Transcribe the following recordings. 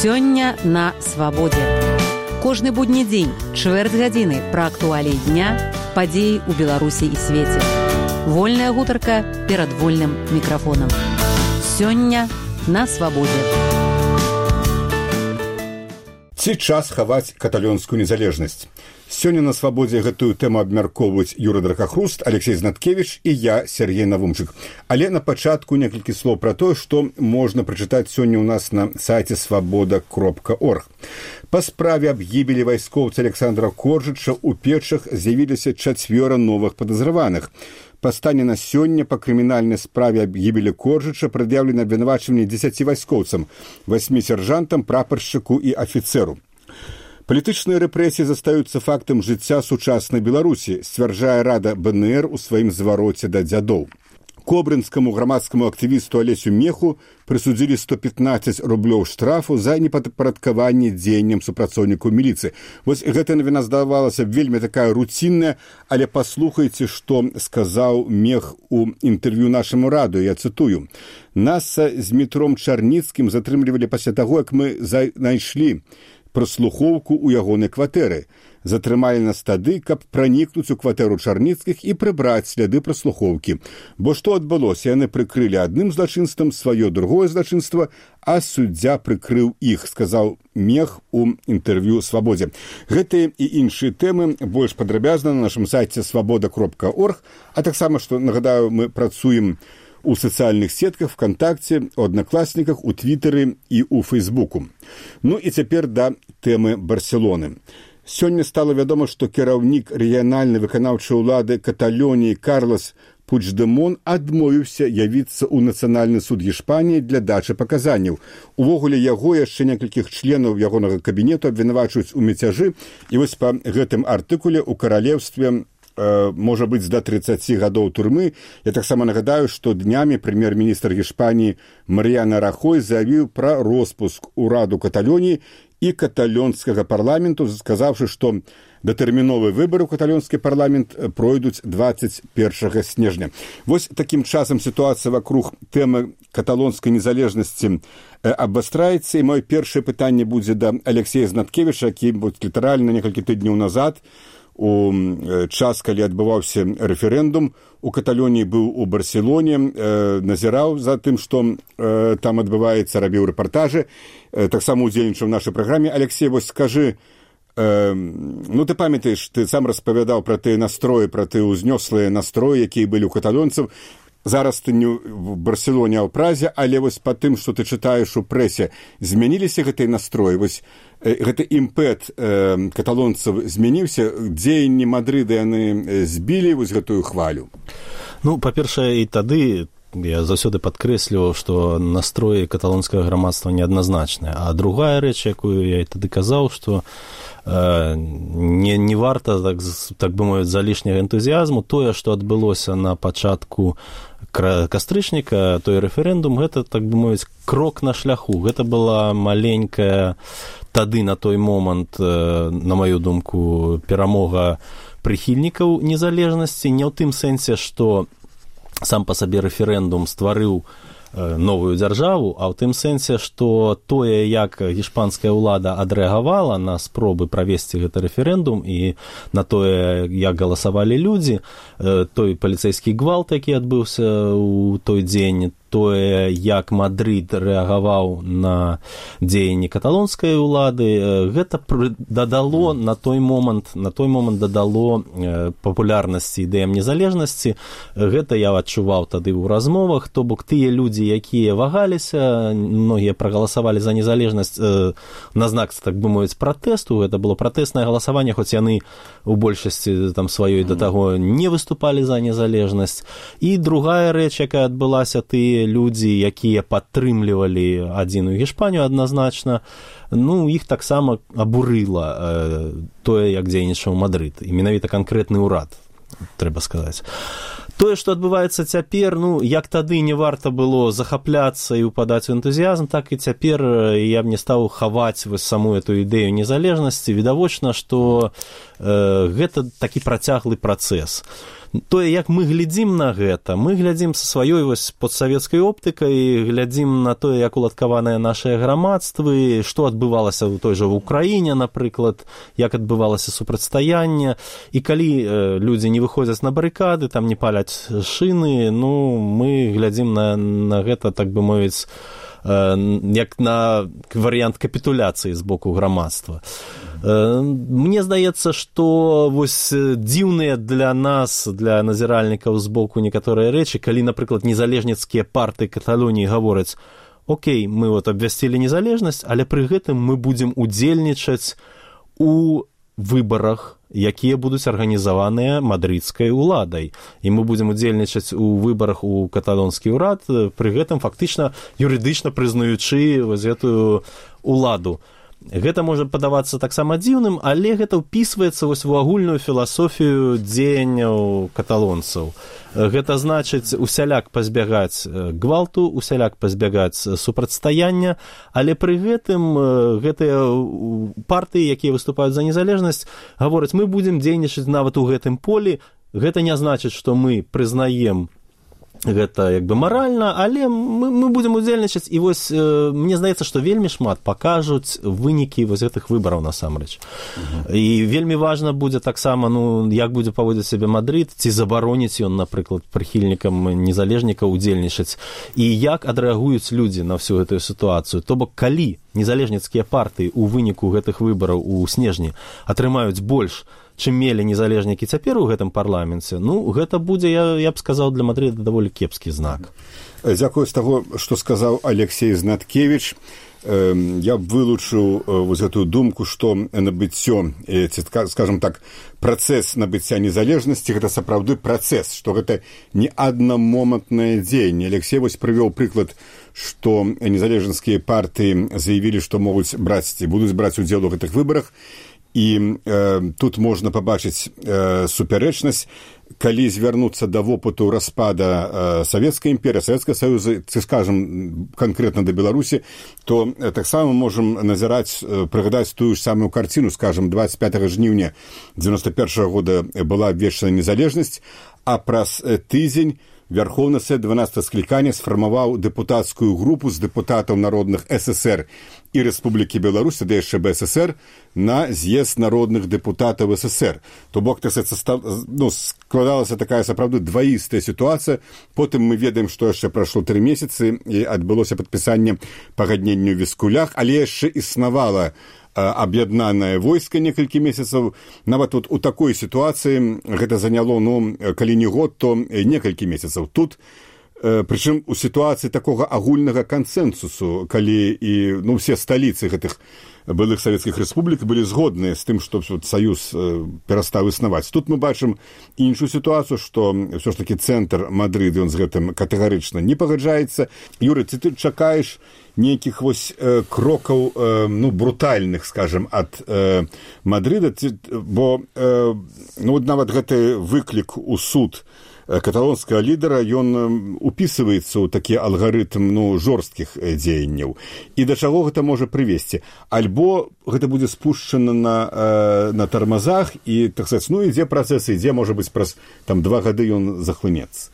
Сёння на свабодзе. Кожны будні дзень, чвэрць гадзіны пра актуаліі дня, падзеі ў Беларусі і свеце. Вольная гутарка перад вольным мікрафонам. Сёння на свабодзе. Ці час хаваць каталонскую незалежнасць? Сёння на свабодзе гэтую тэму абмяркоўваюць Юра Дракахруст, Алексей Знаткевич і я, Сергей Навумчык. Але на пачатку некалькі слоў пра тое, што можна прачытаць сёння ў нас на сайце свабода.орг. Па справе аб гібелі вайскоўца Александра Коржыча ў Печах з'явіліся 4 новых падазраваных. Па стане на сёння па крымінальнай справе аб гібелі Коржыча прад'яўлена абвінавачванне 10 вайскоўцам, 8 сяржантам, прапаршчыку і афіцэру. Палітычныя рэпрэсіі застаюцца фактам жыцця сучаснай Беларусі, сцвярджае Рада БНР у сваім звароце да дзядоў. Кобрынскаму грамадскаму актывісту Алесю Меху прысудзілі 115 рублёў штрафу за непадпарадкаванне дзеянням супрацоўнікаў міліцыі. Вось гэта навіна здавалася вельмі такая руцінная, але паслухайце, што сказаў Мех у інтэрв'ю нашаму радыё, я цытую. Нас з Дмітром Чарніцкім затрымлівалі пасля таго, як мы знайшлі праслухоўку ў ягонай кватэры. Затрымалі нас тады, каб пранікнуць у кватэру Чарніцкіх і прыбраць сляды праслухоўкі. Бо што адбылося? Яны прыкрылі адным злачынствам сваё другое злачынства, а суддзя прыкрыў іх, сказаў Мех у інтэрв'ю «Свабодзе». Гэтыя і іншыя тэмы больш падрабязна на нашым сайце свабода.орг, а таксама, што, нагадаю, мы працуем у сацыяльных сетках, ВКонтакце, у Аднакласніках, у Твітары і у Фейсбуку. Ну і цяпер да тэмы Барселоны. Сёння стала вядома, што кіраўнік рэгіянальнай выканаўчай улады Каталоніі Карлес Пучдэмон адмовіўся явіцца ў Нацыянальны суд Іспаніі для дачы паказанняў. Увогуле яго яшчэ некалькіх членаў ягонага кабінету абвінавачваюць у мяцяжы, і вось па гэтым артыкуле ў каралеўстве можа быць да 30 гадоў турмы. Я таксама нагадаю, што днямі прэм'ер-міністр Іспаніі Марыяна Рахой заявіў пра роспуск ураду Каталоніі і каталонскага парламенту, сказаўшы, што датэрміновыя выбары ў каталонскі парламент пройдуць 21 снежня. Вось такім часам сітуацыя вакруг тэмы каталонскай незалежнасці абвастраецца, і маё першае пытанне будзе да Алексея Знаткевіча, які літаральна некалькі тыдняў назад у час, калі адбываўся рэферэндум, у Каталоніі быў у Барселоне, назіраў за тым, што там адбываецца, рабіў рэпартажы, таксама удзельнічаў в нашай праграме. Алексей, вось скажы, ну ты памятаеш, ты сам распавядаў пра тыя настроі, пра тыя ўзнёслыя настроі, якія былі ў каталонцаў. Зараз ты не в Барселоне, а ў Празе, але вось па тым, што ты чытаеш у прэсе, змяніліся гэтыя настроі? Вось гэты імпэт каталонцаў змяніўся? Дзеянні Мадрыда яны збілі вось гэтую хвалю? Ну, па-першае, і тады я заўсёды падкрэсліваў, што настроі каталонскага грамадства неадназначныя. А другая рэч, якую я і тады казаў, што не варта, так бы мовіць, залішняга энтузіязму. Тое, што адбылося на пачатку кастрычніка, той рэферэндум, гэта, так бы мовіць, крок на шляху. Гэта была маленькая тады на той момант, на маю думку, перамога прыхільнікаў незалежнасці, не ў тым сэнсе, што сам па сабе рэферэндум стварыў новую дзяржаву, а ў тым сэнсе, што тое, як іспанская ўлада адрэагавала на спробы правесці гэты рэферэндум і на тое, як галасавалі людзі, той паліцэйскі гвалт, які адбыўся ў той дзень, тое, як Мадрид рэагаваў на дзеянні каталонскай улады, гэта дадало на той момант дадало папулярнасці ідэям незалежнасці. Гэта я адчуваў тады ў размовах, то бок тыя людзі, якія вагаліся, многія прагаласавалі за незалежнасць на знак, так бы мовіць, пратэсту. Гэта было пратэснае галасаванне, хоць яны у большасці там сваёй да таго не выступалі за незалежнасць. І другая рэч, якая адбылася, тыя людзі, якія падтрымлівалі адзіную Іспанію адназначна, ну, іх таксама абурыла тое, як дзейнічаў Мадрид, і менавіта канкрэтны ўрад, трэба сказаць. Тое, што адбываецца цяпер, як тады не варта было захапляцца і ўпадаць у энтузіязм, так і цяпер я б не стаў хаваць саму эту ідэю незалежнасці. Відавочна, што гэта такі працяглы працэс. Тое, як мы глядзім на гэта, мы глядзім са сваёй постсавецкай оптыкай, глядзім на тое, як уладкаваныя нашыя грамадствы, што адбывалася ў той жа в Украіне, напрыклад, як адбывалася супрацьстаянне, і калі людзі не выходзяць на барыкады, там не паляць шыны, мы глядзім на гэта, так бы мовіць, як на варыянт капітуляцыі з боку грамадства. Мне здаецца, што дзіўныя для нас, для назіральнікаў з боку некаторыя рэчы, калі, напрыклад, незалежніцкія партыі Каталоніі гавораць: окей, мы абвясцілі незалежнасць, але пры гэтым мы будзем удзельнічаць у выбарах, якія будуць арганізаваныя мадрыдскай уладай. І мы будзем удзельнічаць у выбарах у каталонскі ўрад, пры гэтым фактычна юрыдычна прызнаючы гэтую уладу. Гэта можа падавацца таксама дзіўным, але гэта ўпісваецца у агульную філасофію дзеянняў каталонцаў. Гэта значыць усяляк пазбягаць гвалту, усяляк пазбягаць супрацьстаяння, але пры гэтым гэтыя партыі, якія выступаюць за незалежнасць, гавораць: мы будзем дзейнічаць нават у гэтым полі. Гэта не значыць, што мы прызнаем гэта як бы маральна, але мы будзем удзельнічаць. І мне здаецца, што вельмі шмат пакажуць вынікі гэтых выбараў насамрэч. І вельмі важна будзе таксама, як будзе паводзіць сябе Мадрыд, ці забароніць ён, напрыклад, прыхільнікам незалежнікаў удзельнічаць, і як адрэагуюць людзі на всю гэтую сітуацыю. То бок, калі незалежніцкія партыі ў выніку гэтых выбараў у снежні атрымаюць больш, чым мелі незалежнікі цяпер у гэтым парламенце, гэта будзе, я б сказаў, для Мадрыда даволі кепскі знак. Дзякую з таго, што сказаў Алексей Знаткевіч. Я б вылучыў гэтую думку, што набыццё, скажем так, працэс набыцця незалежнасці — гэта сапраўды працэс, што гэта не аднамомантнае дзеянне. Алексей прывёў прыклад, што незалежніцкія партыі заявілі, што могуць браць ці будуць браць удзел у гэтых выбарах. І тут можна пабачыць супярэчнасць, калі звярнуцца да вопыту распада Савецкай імперыі, Савецкага Саюза, ці, скажам, канкрэтна да Беларусі, то таксама можам назіраць, прыгадаць тую ж самую карціну. Скажам, 25 жніўня 91 года была абвешчана незалежнасць, а праз тыдзень Верховны Сад 12 склікання сфармаваў дэпутацкую групу з дэпутатаў народных ССР і Рэспублікі Беларусь, да яшчэ БССР, на з'езд народных дэпутатаў ССР. То бок, складалася такая сапраўды дваістая сітуацыя. Потым мы ведаем, што яшчэ прайшло 3 месяцы і адбылося падпісанне пагаднення ў Віскулях, але яшчэ існавала аб'яднанае войска некалькі месяцаў. Нават у такой сітуацыі гэта заняло, калі не год, то некалькі месяцаў. Тут, прычым у сітуацыі такога агульнага кансэнсусу, калі і ўсе сталіцы гэтых былых савецкіх рэспублік былі згодныя з тым, што саюз перастаў існаваць. Тут мы бачым іншую сітуацыю, што ўсё ж такі цэнтр Мадрыда, ён з гэтым катэгарычна не пагаджаецца. Юрый, ці ты чакаеш нейкіх крокаў, брутальных, скажем, ад Мадрыда? Бо нават гэты выклік у суд каталонскага лідара, ён упісваецца ў такі алгарытм жорсткіх дзеянняў. І да чаго гэта можа прывесці? Альбо гэта будзе спушчана на тармазах, і, так сказаць, ідзе працэс, ідзе, можа быць, праз 2 гады ён захлынецца.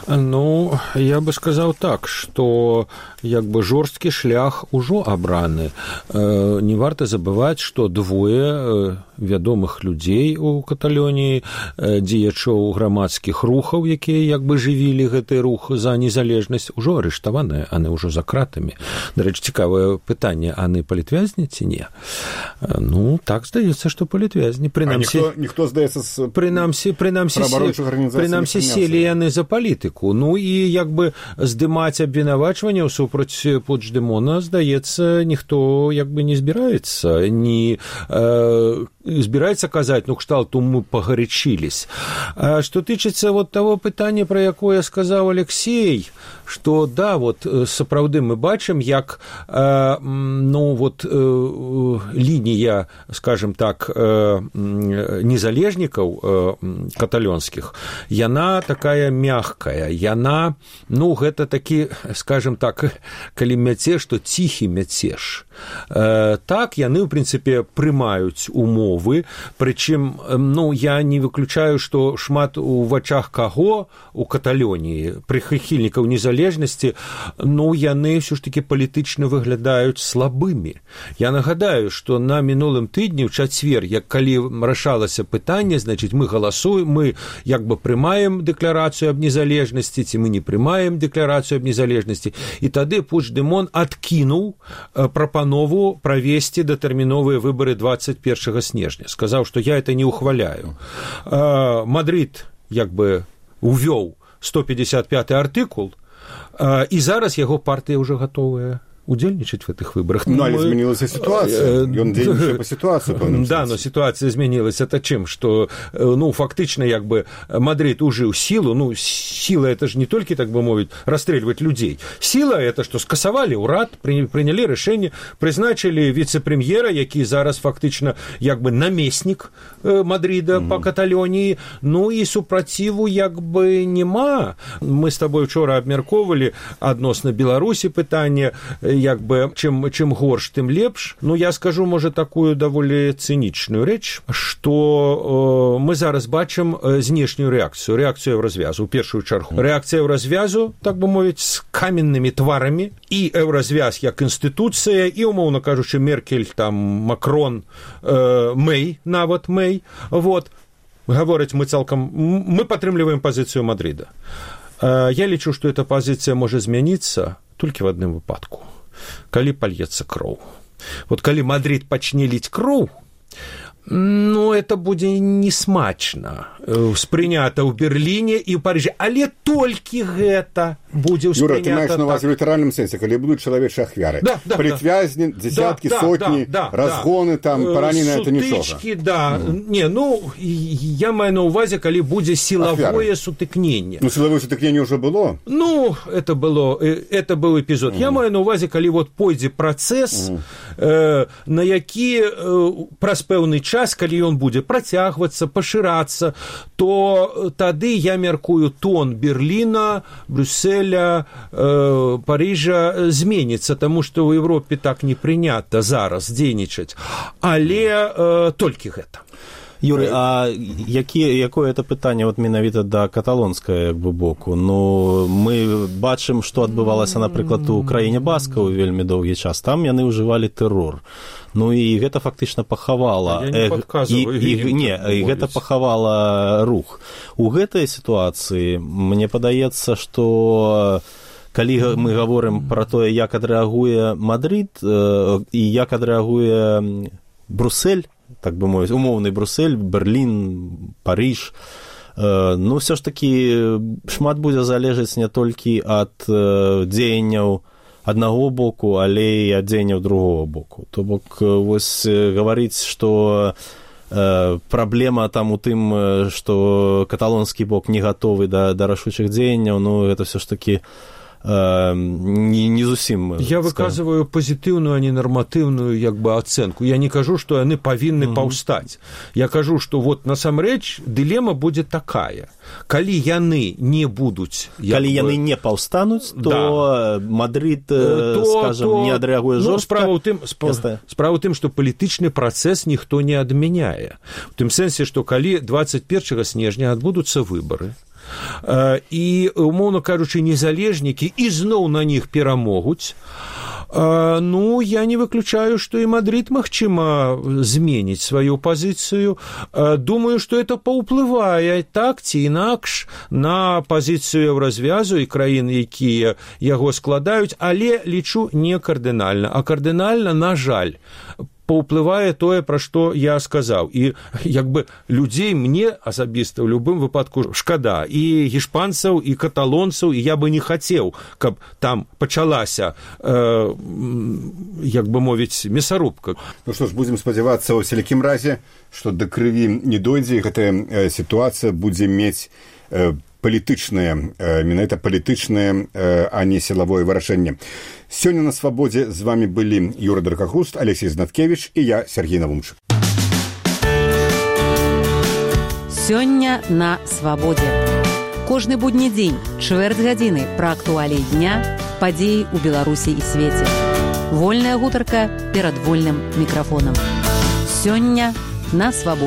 Я бы сказаў так, што жорсткі шлях ужо абраны. Не варта забываць, што двое вядомых людзей у Каталоніі, дзеячоў грамадскіх рухаў, якія жывілі гэты рух за незалежнасць, ужо арыштаваныя, яны ўжо за кратамі. Дарэчы, цікавае пытанне, яны палітвязні ці не? Так здаецца, што палітвязні. Ніхто, здаецца, з праваабарончых арганізацый прынамсі селі яны за палітыку. І здымаць абвінавачванняў супраць Пучдэмона, здаецца, ніхто не збіраецца. Ні збіраецца казаць, ну, кшталту мы пагарячились. А што тычыцца вот того пытання, пра якое сказаў Алексей, што, да, вот, сапраўды мы бачым, як, ну, вот, лінія, скажем так, незалежнікаў каталонскіх, яна такая мягкая, яна, ну, гэта такі, скажем так, калі мяцеж, то ціхі мяцеж. Так, яны, в прынцыпе, прымаюць умовы, прычым, ну, я не выключаю, што шмат у вачах каго у Каталоніі, прыхільнікаў незалежнасці, ну, яны ўсё ж такі палітычна выглядаюць слабымі. Я нагадаю, што на мінулым тыдні, ў чацвер, як калі рашалася пытанне, значыць, мы галасуем, мы як бы прымаем дэкларацыю аб незалежнасці, ці мы не прымаем дэкларацыю аб незалежнасці, і тады Пучдэмон адкінуў прапанову правесці датэрміновыя выбары 21 снежня. Сказаў, што я это не ухваляю. Мадрид як бы увёў 155 артыкул, і зараз яго партыя ўжо гатовая удзельнічаць в этих выборах. Ну, але змянілася ситуация. Ён дзейнічае по ситуацию. Да, но ситуация изменилась. Это чем? Что, ну, фактично, как бы, Мадрид ужил силу. Ну, сила это же не только, так бы мовить, расстреливать людей. Сила это, что скасовали урад, приняли решение, призначили вице-премьера, який зараз фактично, как бы, наместник Мадрида по Каталонии. Ну, и супротиву, как бы, нема. Мы с тобой вчора обмярковали адносно Беларусі пытання, як бы, чым горш, тым лепш. Ну, я скажу, можа, такую даволі цынічную рэч, што мы зараз бачым знешнюю рэакцыю Еўразвязу, у першую чаргу. Рэакцыя Еўразвязу, так бы мовіць, з каменнымі тварамі, і Еўразвяз як інстытуцыя, і, умоўна кажучы, Меркель, там, Макрон, Мэй, нават Мэй, вот, гавораць мы цалкам, мы падтрымліваем пазіцыю Мадрида. Я лічу, што эта пазіцыя можа змяніцца толькі в адным выпадку. Калі пальецца кроў. Вот калі Мадрид пачне ліць кроў, ну, это будзе несмачна ўспрынята ў Берліне і ў Парыжы. Але толькі гэта будзе ўспрынята. Юра, ты маеш на ўвазе ў літаральным сэнсе, калі будуць чалавечыя ахвяры. Да, прытвязні, дзесяткі, сотні, разгоны, там, паранены, это нічога. Сутычкі, да. Не, ну, я маю на ўвазе, калі будзе сілавое сутыкненне. Ну, сілавое сутыкненне ўжо было? Ну, это быў эпізод. Я маю на ўвазе, калі вот пойдзе працэс, на які праз пэўны час, калі ён будзе працягвацца, пашырацца, то тады, я мяркую, тон Берліна, Брюсселя, Парыжа зменіцца, таму што ў Европе так не прынята зараз дзейнічаць. Але толькі гэта. Юрый, а якое это пытанне вот менавіта да каталонскага як бы боку? Ну, мы бачым, што адбывалася, напрыклад, у краіне баскаў вельмі доўгі час. Там яны ўжывалі тэрор. Ну, і гэта фактычна пахавала... гэта пахавала рух. У гэтай сітуацыі мне падаецца, што калі мы гаворым пра тое, як адрэагуе Мадрид і як адрэагуе Бруссель, так бы мовіць, умоўны Бруссель, Берлін, Парыж, ну, ўсё ж такі шмат будзе залежаць не толькі ад дзеянняў аднаго боку, але і ад дзеянняў другого боку. То бок, вось гаварыць, што праблема там у тым, што каталонскі бок не гатовы да рашучых дзеянняў, ну, гэта ўсё ж такі не зусім... Я выказываю пазітыўную, а не нарматыўную як бы ацэнку. Я не кажу, што яны павінны паўстаць. Я кажу, што вот насамрэч дылема будзе такая. Калі яны не будуць... Калі яны не паўстануць, то Мадрид, скажам, не адрэагуе жорстка. Справа ў тым, што палітычны працэс ніхто не адмяняе. У тым сэнсе, што калі 21 снежня адбудуцца выбары, і, умоўна кажучы, незалежнікі ізноў на них перамогуць, ну, я не выключаю, што і Мадрид, магчыма, зменіць сваю пазіцыю. Думаю, што это паўплывае так ці інакш на пазіцыю Еўразвязу і краін, якія яго складаюць, але лічу не кардынальна. А кардынальна, на жаль, паўплывае тое, пра што я сказаў. І як бы людзей мне асабіста ў любым выпадку шкада. І гішпанцаў, і каталонцаў, і я бы не хацеў, каб там пачалася, як бы мовіць, мясарубка. Ну што ж, будзем спадзявацца ў сялякім разе, што да крыві не дойдзе, і гэтая сітуацыя будзе мець палітычнае, менавіта палітычнае, а не сілавое вырашэнне. Сёння на свабодзе з вами былі Юра Дракахруст, Алексей Знаткевич і я, Сергей Навумчык. Сёння на свабодзе. Кожны будні дзень, чвэрць гадзіны пра актуаліі дня, падзеі ў Беларусі і свеце. Вольная гутарка перад вольным мікрафонам. Сёння на свабодзе.